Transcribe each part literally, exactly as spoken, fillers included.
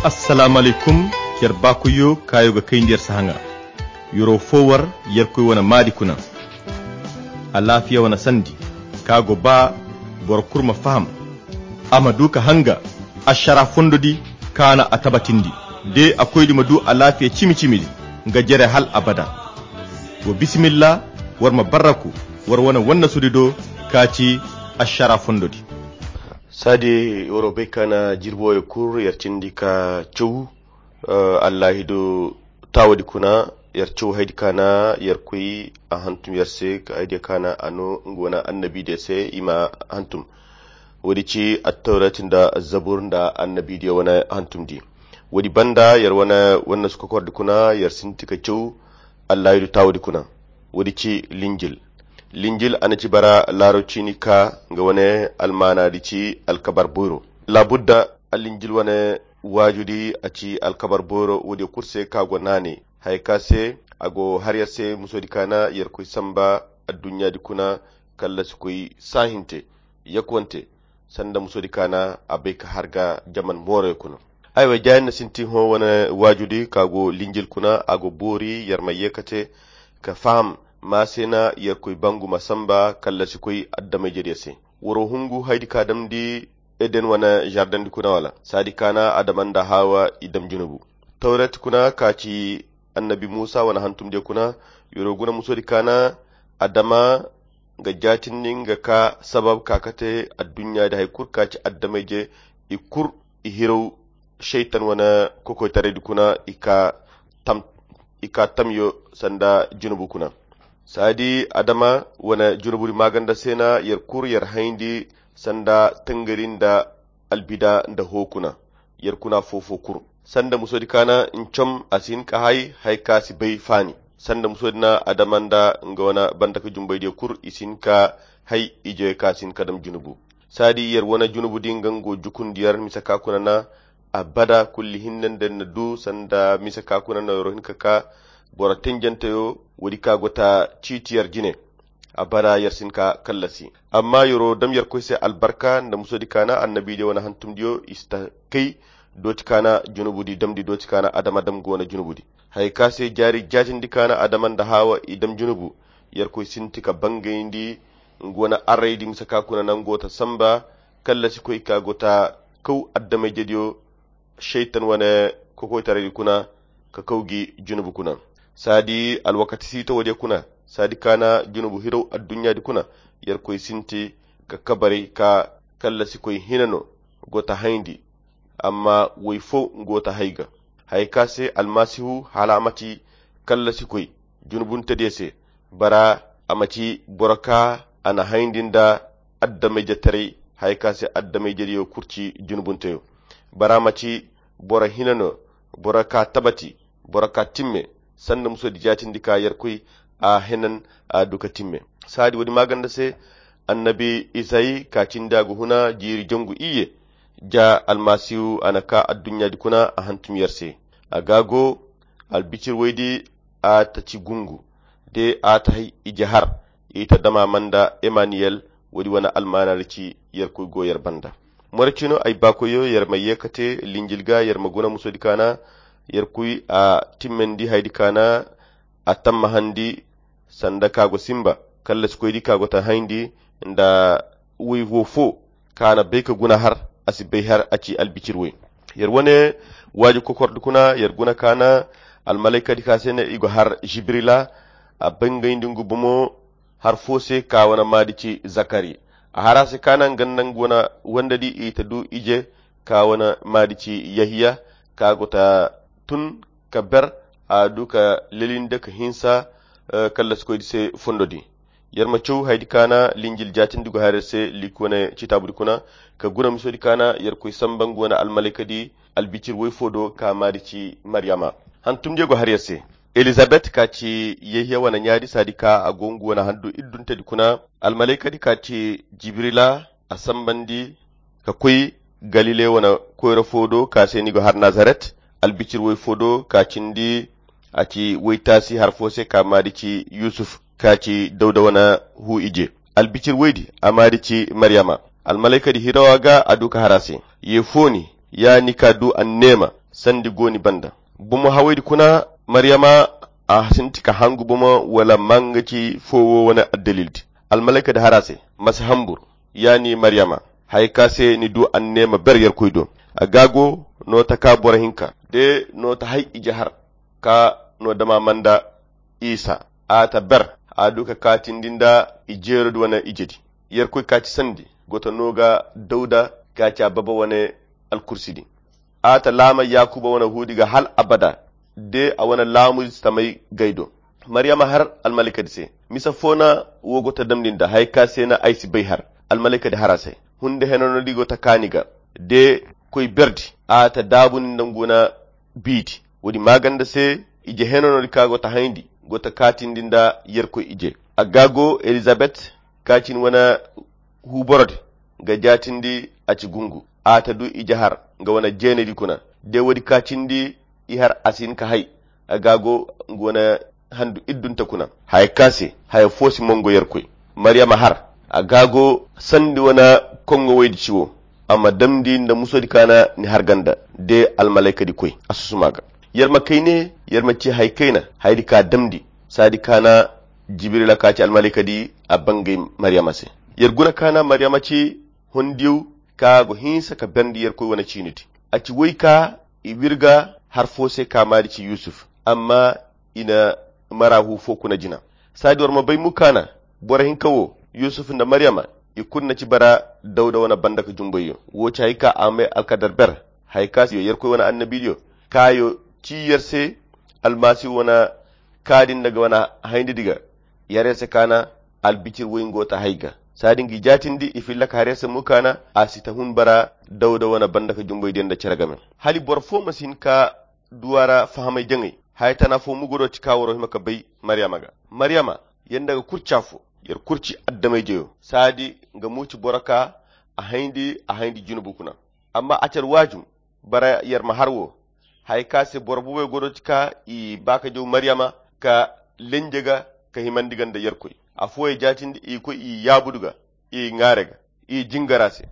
Assalaamu alaykum. Yer baakoyyo kaayo ga kayndi yer sahaŋa. Yero fo war yerkoy wane maadi kuna. Alaafiya wane sandi ka go ba boro kulu ma faham, a ma du ka hanga ašara fondo di kaana a tabatindi. De a koydi ma du alaafiya cimi-cimi di nga jere hal abada. Wo bisimilla, war ma barraku war wane wannasudi do ka ci ašara fondo di. Saadi waro bay kaana jirbi wooyo kulu yer cindi ka caw. Allaahi do taawadi kuna yer caw haydi kaana yerkoy a hantum yer se ka haydiya kaana a no nga wane annabidiya se i ma hantum. Woodi ci attawrat nda azzabur nda annabidiya wane hantumdi. Woodi banda yer wane wane suka kordi kuna yer sinti ka caw. Allaahi do taawadi kuna. Woodi ci linjil. Linjil a na ci bara laaro ciini ka nga wane almaanaadi ci alkabar boyro. Laabudda allinjil wane waajudi a ci alkabar boyro woodiyo kulu se ka go naanay haya ka se a go har yer se musoodi kaana yerkoy samba adduɲɲaadi kuna. Kallasi koy saahinte yakwante sanda musoodi kaana a bay ka har ga jaman mooroyo kuna. Aywa jaayin na sinti hõ wane waajudi ka go linjil kuna a go boori yer ma ye ka te ka faham ma se na yerkoy bangu ma samba kallasi koy addamayjediyo se. Waro hungu haydi ka damndi eden wane žardendi kuna wala saadi kaana adama nda haawa i dam junubu. Tawret kuna ka ci annabi muusa wane hantumdiyo kuna. Yero guna musoodi kaana adama nga jaatindi nga ka sabab ka kate adduɲɲaadi hari kulu ka ci addamayje i kulu i hiraw. Šaytan wane kokoytaraydi kuna i ka tam i ka tamyo sanda junubu kuna. Saadi adama wane junubudi maaganda se na yer kulu yer hayndi sanda tangari nda albida nda hoo kuna. Yer kuna foo-foo kulu sanda musoodi kaana ncom a si hin ka hay hay ka si bay faani. Sanda musoodi na adama nda nga wane banda ka jumbaydiyo kulu i si hin ka hay ijoyo ka si hin ka dam junubu. Saadi yer wane junubudi nga ngo jukundi yer mise ka kuna na abada kulli hinne nda yer na du sanda mise ka kuna na yer hin ka ka boro tenjanteyo. Woodi ka go ta ciiti yer jine abada yer si hin ka kallasi. Amma yero dam yerkoy se albarka nda musoodi kaana annabidiyo wane hantumdiyo i si ta kay dooti kaana junubudi damndi dooti kaana adama dam go wane junubudi. Haya ka se jaari jaatindi kaana adama nda haawa i dam junubu yerkoy sinti ka bangayndi nga wane arraydi mise ka kuna nango ta samba. Kallasi koy ka go ta kaw addamayjediyo šaytan wane kokoytaraydi kuna ka kaw gi junubu kuna. Saadi alwakati siita woodiyo kuna saadi kaana junubu hiraw adduɲɲaadi kuna yerkoy sinti ka kabaray ka kallasi koy hina no go ta hayndi. Amma woy foo nga wo ta hay ga haya ka se almasihu hala a ma ci kallasi koy junubuntediyo se. Bara a ma ci boro ka a na hayndi nda addamayjetaray haya ka se addamayjediyo kulu ci junubunteyo. Bara a ma ci boro hina no boro ka tabati boro ka timme sanda musoodi jaatindi ka yerkoy a henan a du ka timme. Saadi woodi maaganda se annabi isayi ka cindi a ga huna jiiri jangu iyye ja almasihu a na ka adduɲɲaadi kuna a hantum yer se. A ga go albicir woydi a ta ci gungu de a ta hay ije har i ta dama manda emaniyel. Woodi wane almaanaari ci yerkoy go yer banda. More cino ay baakoyyo yer ma ye ka te linjil ga yer ma guna musoodi kaana yerkoy a timmandi haydi kaana a tammahandi sanda ka go simba kallasikoydi ka go ta hayndi nda woy wo fo ka na bay ka guna har a si bay har a ci albicir woy. Yer wane waaji kokordi kuna yer guna ka na almalaykadi ka se ne i go har jibrila a bangayndi ngu bomo har fo se ka wane maadi ci zakari. A har a se ka na nga nda nga wane wandadi i ta du ije ka wane maadi ci yahiya ka go ta tun ka ber a du ka lelinde ka hinsa kallasikoydi se fondo di. Yer ma caw haydi ka na linjil jaatindi go haray se liik wane citaabudi kuna ka guna misodi ka na yerkoy samba nga wane almalaykadi albicir woy fo do ka maadi ci maryama. Hantumdiyo go har yer se elizabet ka ci yehiya wane ɲaadi saadi ka a go nga wane handu idduntedi kuna almalaykadi ka ci jibrila a sambandi ka koy galile wane koyra fo do ka se ni go har nazaret albicir woy fo do ka cindi a ci woytaasi har fo se ka maadi ci yusuf ka ci dawda wane hu ije. Albicir woydi a maadi ci maryama almalaykadi hirawa ga a du ka har a se ye fooni ya ni ka du anneema sandi gooni banda. Bomo hawaydi kuna, maryama a sinti ka hangu bomo wala manga ci fowo wane addalildi. Almalaikadi hara se, masi hambur, ya ni maryama, haya ka se ni du annema ber yarkoy do. A gago no ta ka boro hinka de no ta hay ije har ka no dama manda isa a ta ber a du ka kaatindi nda i jeerodi wane ijedi. Yerkoy kaaci sandi go ta no ga dawda kaaci a baba wane alkursidi. A ta laama yakuba wane huudi ga hal abada de a wane laamu samay gay do. Maryama har almalaikadi se, misa fo na wo go ta damndi nda haya ka se na ay si bay har. Almalaikadi har a se, hunde henanodi go ta kaani ga de koy berdi a ta daabundi nda ngu wane biidi. Woodi maaganda se ije henanodi ka go ta hayndi go ta kaatindi nda yerkoy ije. A ga go elizabet ka cin wane huuborodi ga jaatindi a ci gungu a ta du ije har nga wane jeenedi kuna. De woodi ka cindi i har a si hin ka hay. A ga go nga wane handu iddunta kuna haya ka se haya fo si mongo yerkoy. Maryama har a ga go sandi wane kongo woydi ci wo a ma damndi nda musodi ka na ni har ganda de almalaikadi koy a susuma ga. Yer ma kay ne yer ma ci hay kayna haydi ka damndi saadi ka na jibrila ka ci almalaikadi a bangay maryama se. Yer guna ka na maryama ci hondiyo ka go hinsa ka berndi yerkoy wane ciinidi. A ci woy ka i wirga har fo se ka maadi ci yusuf amma i na mara hu fo kuna jina. Saadi war ma bay mu ka na boro hinka wo yusuf nda maryama i kulu na ci bara dawda wane banda ka jumbayyo wo ci hay ka a may alkadar ber. Hay ka yo yerkoy wane annabidiyo ka yo ci yer se almasihu wane kaadi nda ga wane hayndi diga. Yare se ka na albicir woy ngo ta hay ga saadi ngi jaatindi i filla ka hare se mu ka na a si ta hun bara dawda wane banda ka jumbay diya nda cere game. Hali boro fo ma si hin ka duwara fahamay jaŋay. Haya tana fo mugo do ci ka waro hima ka bay maryama ga. Maryama yanda ga kurca fo yer kurci addamayjeyo saadi nga mu ci boro ka a hayndi a hayndi junubu kuna. Amma a care waajum bara yer ma har wo haya ka se boro bubay go do ci ka i ba ka jaw maryama ka lenje ga ka himandi ga nda yerkoy. Afooyey jaatindi i koy i yaabudu ga i ŋaare ga i jingara se.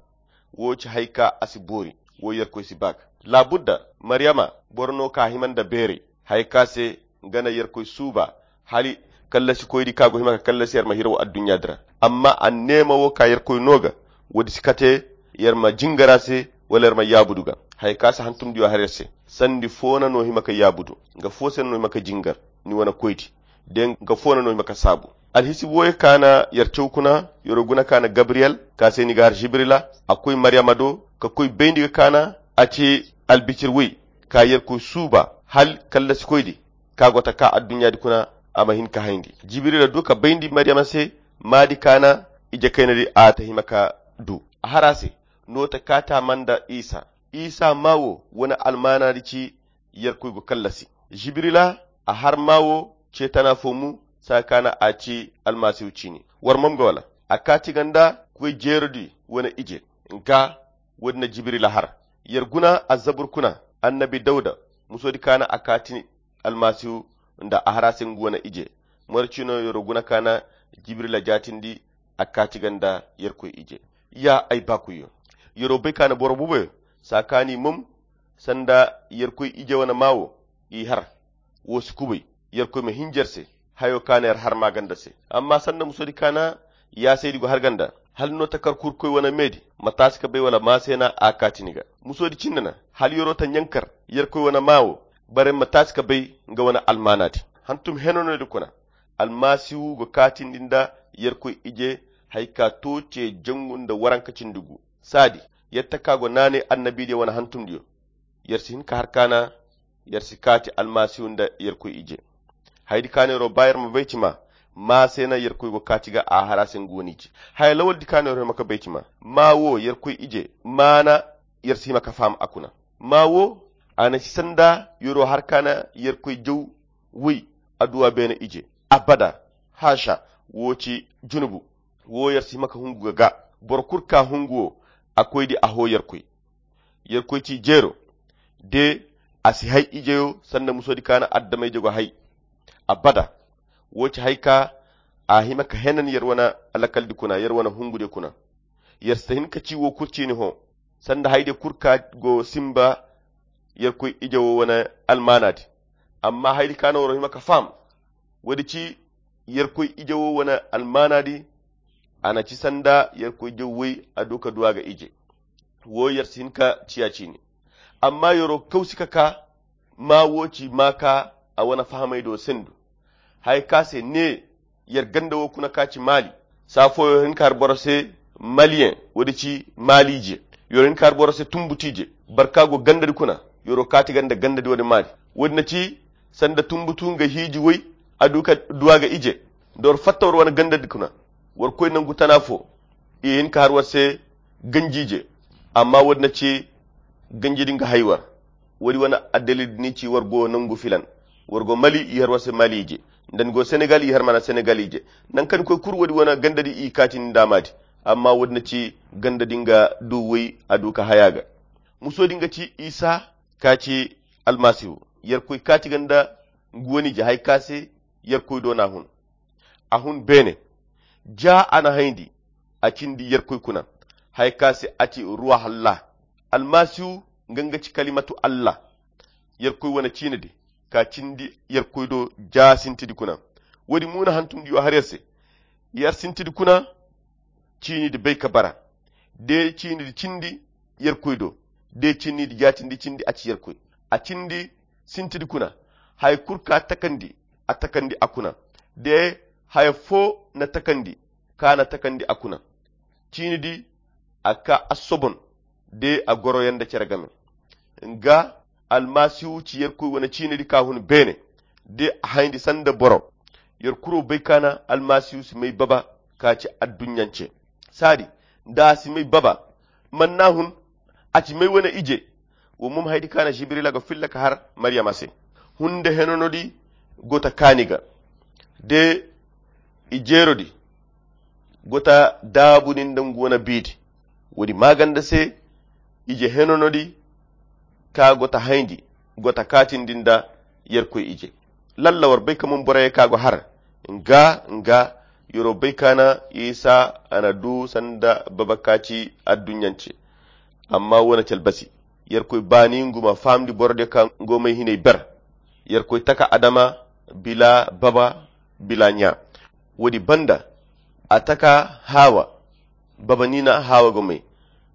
Wo ci hay ka a si boori wo yerkoy si ba ga. Laabudda maryama boro no ka hima nda beeray haya ka se nga na yerkoy suuba hali kallasikoydi ka go hima ka kallasi yer ma hiraw adduɲɲa di ra. Amma anneema wo ka yerkoy no ga woodi si kate yer ma jingar a se wala yer ma yaabudu ga. Haya ka si hantumdiyo har yer se sandi fo na no hima ka yaabudu nga fo se na no hima ka jingar ni wane koydi de nga fo na no hima ka saabu. Alhisibu woyey ka na yer caw kuna yer wo guna ka na gabriyel ka se ni ga har jibrila a koy maryama do ka koy bayndi ga ka na a ci albicir woy ka yerkoy suuba hal kallasikoydi ka go ta ka adduɲɲaadi kuna a ma hin ka hayndi. Jibrila du ka bayndi maryama se maadi ka na ije kaynadi a ta hima ka du a har a se no ta kaata ma nda isa. Isa ma wo wane almaanaadi ci yerkoy go kallasi. Jibrila a har ma wo ce tana fo mu saa ka na a ci almasihu ciini. War mom ga wala a kaati ga nda koy jeerodi wane ije. Nga woodi na jibrila har yer guna azzabur kuna annabi dawda musoodi ka na a kaati almasihu nda a har a se ngu wane ije. Moro ciino yer wo guna ka na jibrila jaatindi a kaati ga nda yerkoy ije. Ya ay baakuyyo yer wo bay ka na boro buboyo saa ka ni mom sanda yerkoy ije wane ma wo i har. Wo si kubay yerkoy ma hinja yer se hayo ka na yer har maaganda se. Amma sanda musoodi ka na yaasaydi go har ganda hala no ta kar kurkoy wane meedi ma taasi ka bay wala ma se na a kaati ni ga. Musoodi cindi na hala yer wo ta ɲankar yerkoy wane ma wo bara yer ma taasi ka bay nga wane almaanaadi. Hantum heno no di kuna almasihu ga kaatindi nda yerkoy ije. Hay ka to ce jangu nda waranka cindi gu saadi yer ta ka go naanay annabidiyo wane hantumdiyo. Yer si hin ka har ka na yer si kaati almasihu nda yerkoy ije. Haydi ka neero ba yer ma bay ci ma ma se na yerkoy go kaati ga a har a se ngu wane ije. Haya lawaldi ka neero hima ka bay ci ma ma wo yerkoy ije ma na yer si hima ka faham a kuna. Ma wo a na si sanda yer wo har ka na yerkoy jaw woy adduwa beene ije. Abada haasa wo ci junubu. Wo yer si hima ka hungu ga ga boro kulu ka hungu wo a koydi a hoo yerkoy. Yerkoy ci jeero de a si hay ijeyo sanda musoodi ka na addamayje go hay. Abada wo ci hay ka a hima ka henan yer wane alakaldi kuna yer wane hungudiyo kuna. Yer si ta hin ka ci wo kulu ciini hõ sanda haydiyo kulu ka go simba Yerkoy ije wo wane almaanaadi. Amma haydi ka no woro hima ka faham, woodi ci Yerkoy ije wo wane almaanaadi. A na ci sanda Yerkoy ije woy a du ka du a ga ije. Wo yer si hin ka ciya ciini. Amma yero kawsi ka ka ma wo ci ma ka a wane fahamay do sendu. Haya ka se ne yer ganda wo kuna ka ci maali. Saa fooyo hin ka har boro se maliyen, woodi ci maaliije. Yero hin ka har boro se tumbutiije. Barka go gandadi kuna, yero kaati ganda gandadi woodi maali. Woodi na ci sanda tumbutu nga hiiji woy a du ka du a ga ije. Nda war fatta war wane gandadi kuna, war koy nangu tana fo. I hin ka har war se ganjiije. Amma woodi na ci ganjidi nga hay war. Woodi wane addalil ni ci war go nangu filan. War go mali i har war se maliije. Nda ni go senegal i har mana senegaliije. Nankan koy kuru woodi wane gandadi i kaati ni ndamaadi. Amma woodi na ci gandadi nga du woy a du ka haya ga. Musoodi nga ci isa ka ci almasihu. Yerkoy kaati ganda ngu wane ije hay ka se yerkoy do na hun. A hun beene. Ja a na hayndi a cindi yerkoy kuna. Hay ka se a ci ruwahalla. Almasihu nga nga ci kalimatu allah. Yerkoy wane ciinidi ka cindi yerkoy do ja sintidi kuna. Woodi muuna hantumdi yo har yer se. Yer sintidi kuna ciinidi bay ka bara. De ciinidi cindi yerkoy do. De ciinidi jaatindi cindi a ci yerkoy. A cindi sintidi kuna. Haya kulu ka takandi a takandi a kuna. De haya fo na takandi ka na takandi a kuna. Ciinidi a ka a sobon de a goroyaŋ nda cere game. Nga almasihu ci yerkoy wane ciinidi ka hun beene. De a hayndi sanda boro. Yer kuro bay ka na almasihu si may baba ka ci adduɲɲance. Saadi nda a si may baba. Man na hun a ci may wane ije. Wo mum haydi ka na jibrila ga filla ka har mariyama se. Hunde henonodi go ta kaani ga de i jeerodi go ta daabu ni nda ngu wane biidi. Woodi maaganda se ije henonodi ka go ta hayndi go ta kaatindi nda yerkoy ije. Lalla war bay ka mum boroyey ka go har nga nga yero bay ka na isa a na du sanda baba ka ci adduɲɲance. Amma wo na calbasi yerkoy baani ngu ma fahamndi borodiyo ka ngo may hinay ber. Yerkoy taka adama bila baba bila ɲa. Woodi banda a taka hawa baba ni na hawa go may.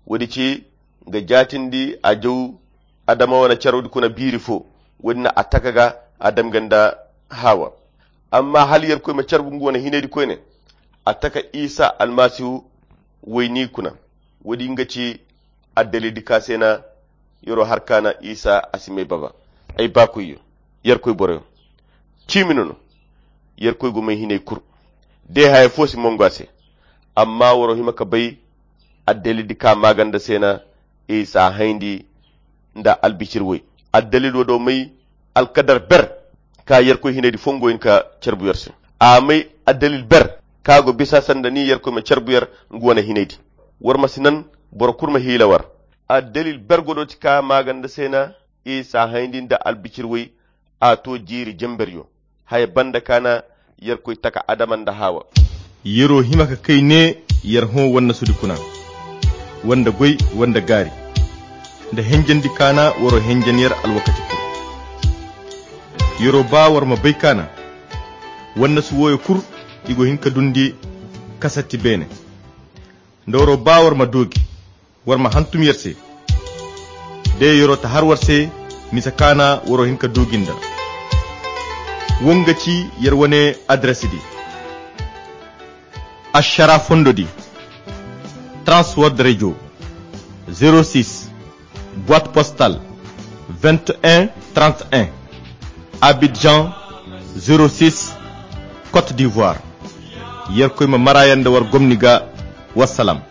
Woodi ci nga jaatindi a jaw adama wane carwdi kuna biiri fo. Woodi na a taka ga a dam ga nda hawa. Amma hala yerkoy ma carbu ngu wane hinaydi koyne a taka isa almasihu wayni kuna. Woodi nga ci addalildi ka se na yero har ka na isa a si may baba. Ay baakoyyo yerkoy boroyo ciimi no no. Yerkoy go may hinay kul de haya fo si mongo a se. Amma woro hima ka bay addalildi ka maaganda se na isa hayndi nda albicir way. Addalil wo do may alkadar ber ka yerkoy hinaydi fongo hin ka carbu yer se. A may addalil ber ka go bisa sanda ni yerkoy ma carbu yer ngu wane hinaydi. War ma si nan boro kul ma hiila war. Addalil ber go do ti ka maaganda se na isa hayndi nda albicir way. A to jiiri jemberyo haya banda ka na yerkoy taka adama nda hawa. Yero hima ka kay ne yer hõ wannasudi kuna wanda goy wanda gaari nda henjendi ka na waro henjen yer alwakati kul. Yero ba war ma bay ka na wannasu woyo kul i go hin ka dundi kasatti beene. Nda waro ba war ma doogi war ma hantum yer se de yero ta har war se. Misa ka na waro hin ka doogi nda wo nga ci yer wane adres di. Ašara fondo di transword radio, zero six boite postal vingt et un trente et un, abidjan, zero six, côte d'ivoire. Yerkoy ma mara yanda war gomni ga. Wassalam.